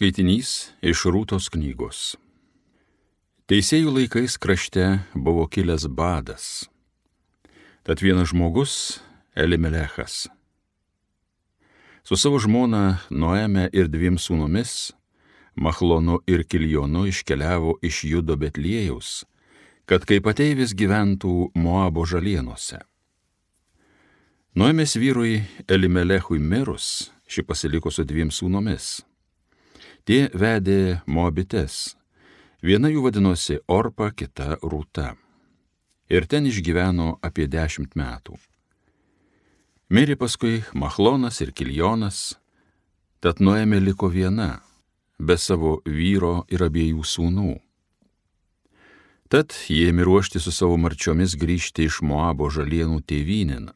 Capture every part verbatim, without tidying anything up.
Skaitinys iš Rūtos knygos. Teisėjų laikais krašte buvo kilęs badas. Tad vienas žmogus, Elimelechas, su savo žmona Noeme ir dviem sūnumis, Machlonu ir Kiljonu, iškeliavo iš Judo Betliejaus, kad kaip ateivis gyventų Moabo žalienose. Noemės vyrui Elimelechui mirus, ši pasiliko su dviem sūnumis. Tie vedė Moabites, viena jų vadinosi Orpa, kita Rūta. Ir ten išgyveno apie dešimt metų. Mirė paskui Machlonas ir Kiljonas, tad Noemė liko viena, be savo vyro ir abiejų sūnų. Tad jie ėmė ruošti su savo marčiomis grįžti iš Moabo žalienų tėvynėn,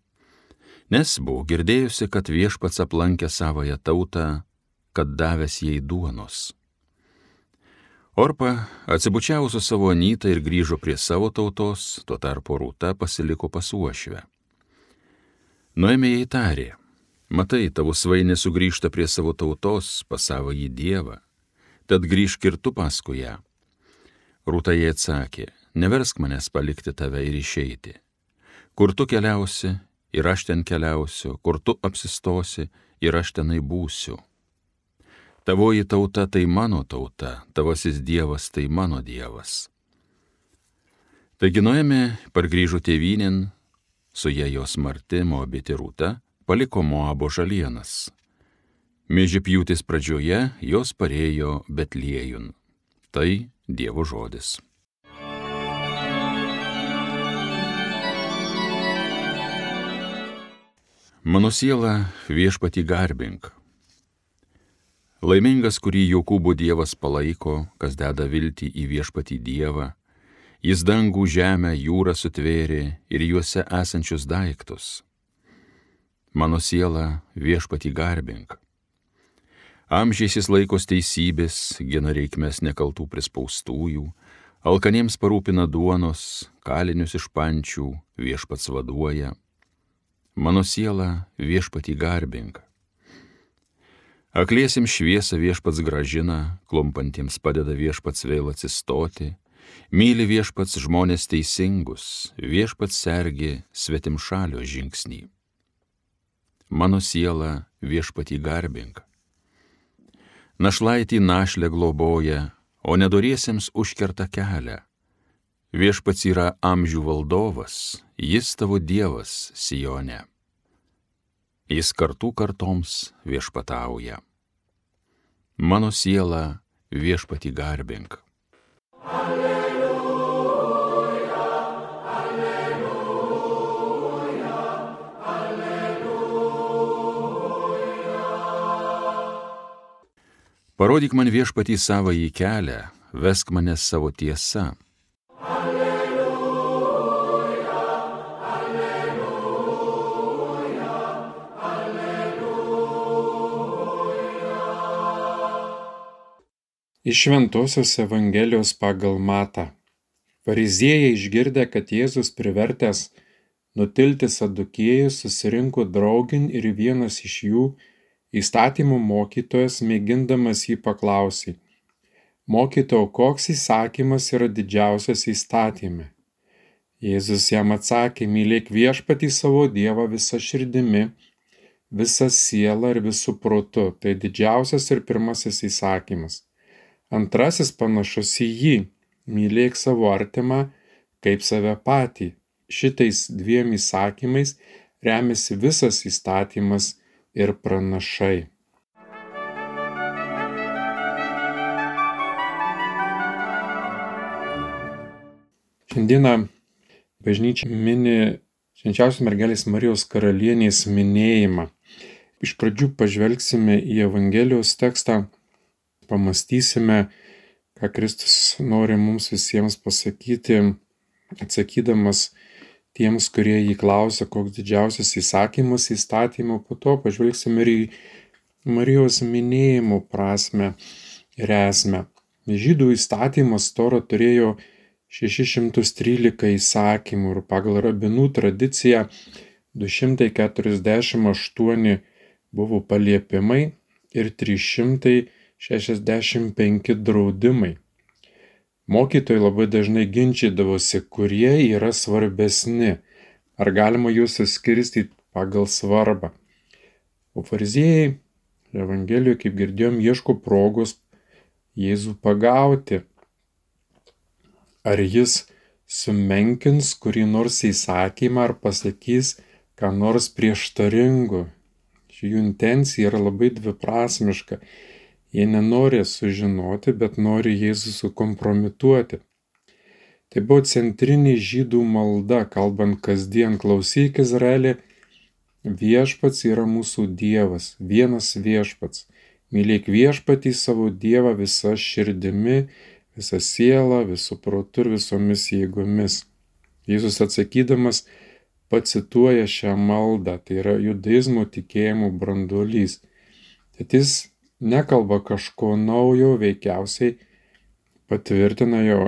nes buvo girdėjusi, kad viešpats aplankė savąją tautą, kad davęs jai duonos. Orpa atsibučiavo su savo anyta ir grįžo prie savo tautos, tuo tarpu Rūta pasiliko pas uošvę. Noemė jai tarė: matai, tavo svainė sugrįžta prie savo tautos, pas savąjį dievą, tad grįžk ir tu paskui ją. Rūta jai atsakė: neversk manęs palikti tave ir išeiti. Kur tu keliausi, ir aš ten keliausiu, kur tu apsistosi, ir aš tenai būsiu. Tavoji tauta tai mano tauta, tavasis dievas tai mano dievas. Taigi Noemė pargrįžo tėvynėn, su ja jos marti Moabitė Rūta paliko Moabo žalienas. Miežipjūtės pradžioje jos parėjo Betliejun. Tai Dievo žodis. Mano siela, viešpatį garbink. Laimingas, kurį Jokūbo Dievas palaiko, kas deda viltį į viešpatį Dievą, jis dangų, žemę, jūrą sutvėrė ir juose esančius daiktus. Mano siela, viešpatį garbink. Amžiais jis laikos teisybės, gina reikmes nekaltų prispaustųjų, alkaniems parūpina duonos, kalinius iš pančių viešpats vaduoja. Mano siela, viešpatį garbink. Akliesiems šviesą viešpats gražina, klumpantiems padeda viešpats vėl atsistoti, myli viešpats žmonės teisingus, viešpats sergi svetimšalio žingsnį. Mano siela, viešpatį garbink. Našlaitį našlę globoja, o nedoriesiems užkerta kelią. Viešpats yra amžių valdovas, jis tavo dievas Sione. Jis kartų kartoms viešpatauja. Mano siela, viešpatį garbink. Alleluja, alleluja, alleluja. Parodyk man viešpatį savąjį kelią, vesk mane savo tiesa. Iš Šventosios Evangelijos pagal Matą. Fariziejai išgirdę, kad Jėzus privertęs nutilti sadukiejus, susirinko draugin ir vienas iš jų, įstatymų mokytojas, mėgindamas jį paklausė: mokytojau, koks įsakymas yra didžiausias įstatyme? Jėzus jam atsakė: mylėk viešpatį savo Dievą visa širdimi, visa siela ir visų protu. Tai didžiausias ir pirmasis įsakymas. Antrasis panašus į jį: mylėk savo artimą kaip save patį. Šitais dviem įsakymais remiasi visas įstatymas ir pranašai. Šiandieną bažnyčia mini Švenčiausios mergelės Marijos karalienės minėjimą. Iš pradžių pažvelgsime į Evangelijos tekstą, pamastysime, ką Kristus nori mums visiems pasakyti, atsakydamas tiems, kurie jį klausia, koks didžiausias įsakymas įstatymo. Po to pažvelgsime ir į Marijos minėjimo prasmę ir esmę. Žydų įstatymas Tora turėjo šešis šimtus trylika įsakymų ir pagal rabinų tradiciją du šimtai keturiasdešimt aštuoni buvo paliepimai ir trys šimtai šešiasdešimt penki draudimai. Mokytojai labai dažnai ginčydavosi, kurie yra svarbesni, ar galima juos suskirstyti pagal svarbą. O fariziejai Evangelijoje, kaip girdėjom, ieško progos Jėzų pagauti. Ar jis sumenkins kurį nors įsakymą ar pasakys ką nors prieštaringo. Jų intencija yra labai dviprasmiška. Jie nenori sužinoti, bet nori Jėzų sukompromituoti. Tai buvo centrinė žydų malda, kalbant kasdien: klausyk Izraeli, viešpats yra mūsų Dievas, vienas viešpats. Mylėk viešpatį savo Dievą visa širdimi, visa siela, visų protu ir visomis jėgomis. Jėzus atsakydamas pacituoja šią maldą, tai yra judaizmo tikėjimo branduolys. Tad jis nekalba kažko naujo, veikiausiai patvirtina jo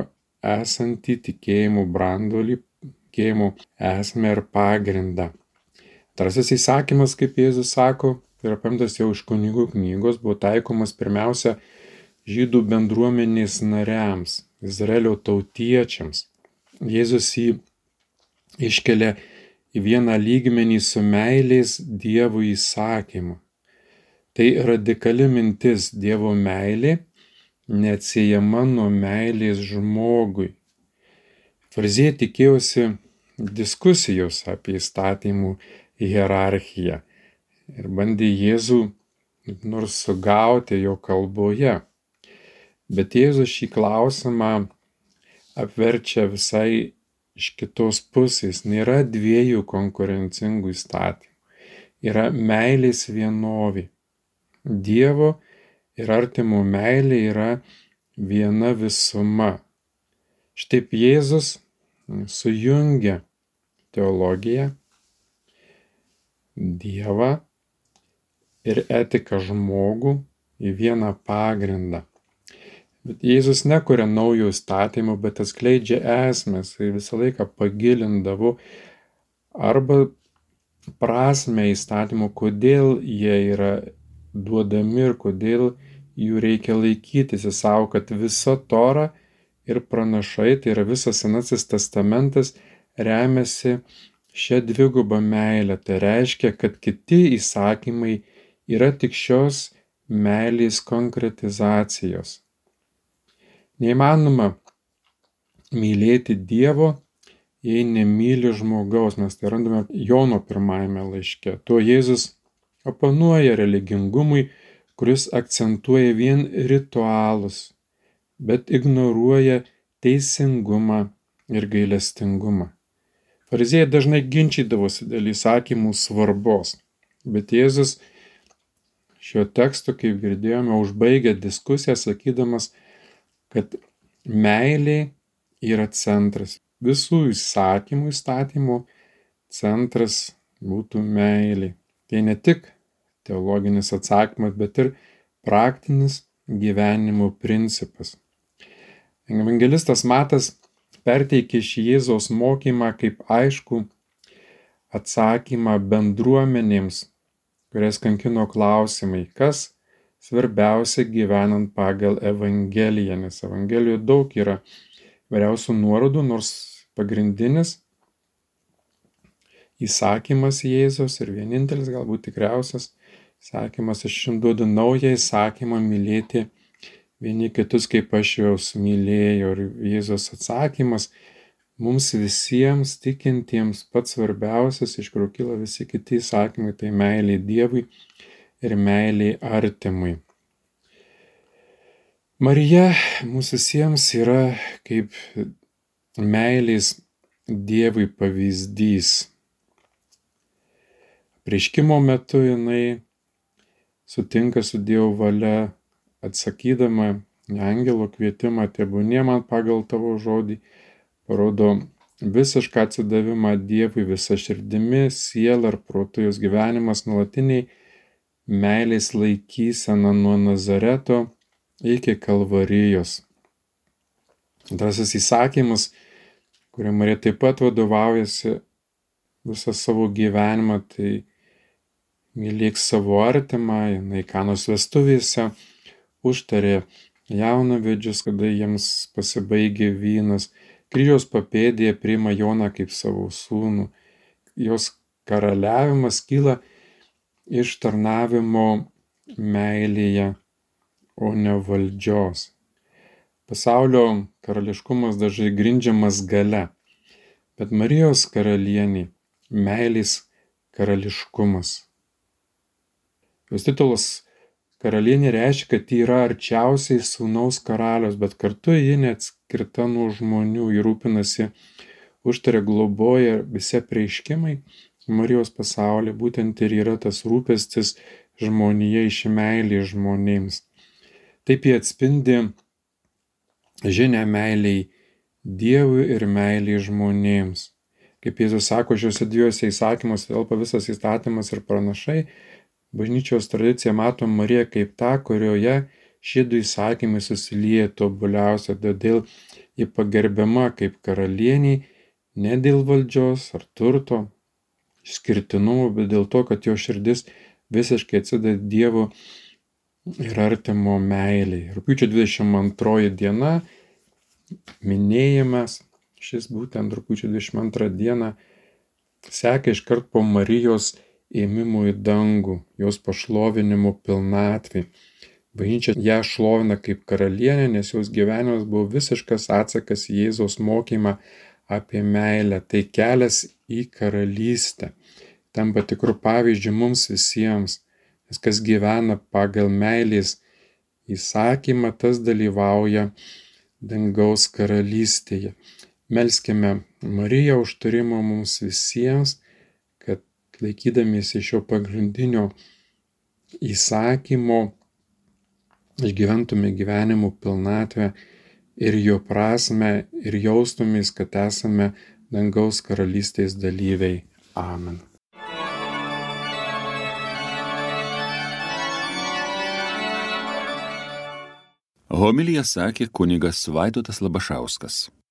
esantį tikėjimo branduolį, tikėjimo esmę ir pagrindą. Antrasis įsakymas, kaip Jėzus sako, tai yra paimtas jau iš kunigų knygos, buvo taikomas pirmiausia žydų bendruomenės nariams, Izraelio tautiečiams. Jėzus jį iškelia į vieną lygmenį su meilės Dievui įsakymu. Tai radikali mintis: Dievo meilė neatsiejama nuo meilės žmogui. Fariziejai tikėjosi diskusijos apie įstatymų hierarchiją ir bandė Jėzų nors sugauti jo kalboje. Bet Jėzus šį klausimą apverčia visai iš kitos pusės. Nėra dviejų konkurencingų įstatymų. Yra meilės vienovė. Dievo ir artimo meilė yra viena visuma. Štaip Jėzus sujungia teologiją, Dievą ir etiką žmogų į vieną pagrindą. Bet Jėzus nekuria naujo įstatymų, bet atskleidžia esmės. Jis visą laiką pagilindavo arba prasmę įstatymų, kodėl jie yra duodami ir kodėl jų reikia laikytis. Jis sako, kad visa Tora ir pranašai, tai yra visas Senasis testamentas, remiasi šią dvigubą meilę. Tai reiškia, kad kiti įsakymai yra tik šios meilės konkretizacijos. Neįmanoma mylėti Dievo, jei nemyli žmogaus. Mes tai randame Jono pirmajame laiške. Tuo Jėzus oponuoja religingumui, kuris akcentuoja vien ritualus, bet ignoruoja teisingumą ir gailestingumą. Fariziejai dažnai ginčydavosi dėl įsakymų svarbos, bet Jėzus šio teksto, kaip girdėjome, užbaigia diskusiją sakydamas, kad meilė yra centras. Visų įsakymų įstatymų centras būtų meilė. Tai ne tik teologinis atsakymas, bet ir praktinis gyvenimo principas. Evangelistas Matas perteikė šį Jėzaus mokymą kaip aišku atsakymą bendruomenėms, kurias kankino klausimai, kas svarbiausia gyvenant pagal Evangeliją, nes Evangelijoje daug yra vairiausių nuorodų, nors pagrindinis įsakymas Jėzaus ir vienintelis, galbūt tikriausias įsakymas: aš jums duodu naują įsakymą mylėti vieni kitus, kaip aš juos mylėjau. Ir Jėzaus atsakymas mums visiems tikintiems pats svarbiausias, iš kurio kyla visi kiti įsakymai, tai meilė Dievui ir meilė artimui. Marija mūsų visiems yra kaip meilės Dievui pavyzdys. Apreiškimo metu jinai sutinka su Dievo valia, atsakydama į angelo kvietimą: tebūnie man pagal tavo žodį, parodo visišką atsidavimą Dievui visa širdimi, siela ir protu. Jos gyvenimas nuolatiniai meilės laikysena nuo Nazareto iki Kalvarijos. Antrasis įsakymas, kuriuo Marija taip pat vadovaujasi visą savo gyvenimą, tai mylėk savo artimą. Jinai Kanos vestuvėse užtarė jaunavedžius, kada jiems pasibaigė vynas. Kryžiaus papėdėje priima Joną kaip savo sūnų. Jos karaliavimas kyla iš tarnavimo meilėje, o ne valdžios. Pasaulio karališkumas dažnai grindžiamas gale, bet Marijos karalienė meilės karališkumas. Jos titulas karalienė reiškia, kad ji yra arčiausiai sūnaus karalius, bet kartu ji neatskirta nuo žmonių, ji rūpinasi, užtaria, globoja, visi apreiškimai Marijos pasaulyje būtent ir yra tas rūpestis žmonija iš meilės žmonėms. Taip jie atspindi žinią meiliai Dievui ir meiliai žmonėms. Kaip Jėzus sako, šiuose dviejose įsakymuose telpa visas įstatymas ir pranašai. Bažnyčios tradicija mato Mariją kaip tą, kurioje šie du įsakymai susilieja tobuliausia, todėl ji pagerbiama kaip karalienė ne dėl valdžios ar turto, išskirtinumo, bet dėl to, kad jo širdis visiškai atsideda Dievo ir artimo meiliai. Rugpjūčio dvidešimt antroji diena, minėjimas, šis būtent rugpjūčio dvidešimt antrą dieną seka iškart po Marijos ėmimo į dangų, jos pašlovinimo pilnatvė. Bažnyčia ją šlovina kaip karalienė, nes jos gyvenimas buvo visiškas atsakas į Jėzaus mokymą apie meilę. Tai kelias į karalystę. Tampa tikrų pavyzdžių mums visiems, nes kas gyvena pagal meilės įsakymą, tas dalyvauja dangaus karalystėje. Melskime Mariją užtarimo mums visiems, kad laikydamiesi šio pagrindinio įsakymo išgyventume gyvenimo pilnatvę ir jo prasmę ir jaustumės, kad esame dangaus karalystės dalyviai. Amen. Homiliją sakė kunigas Vaidotas Labašauskas.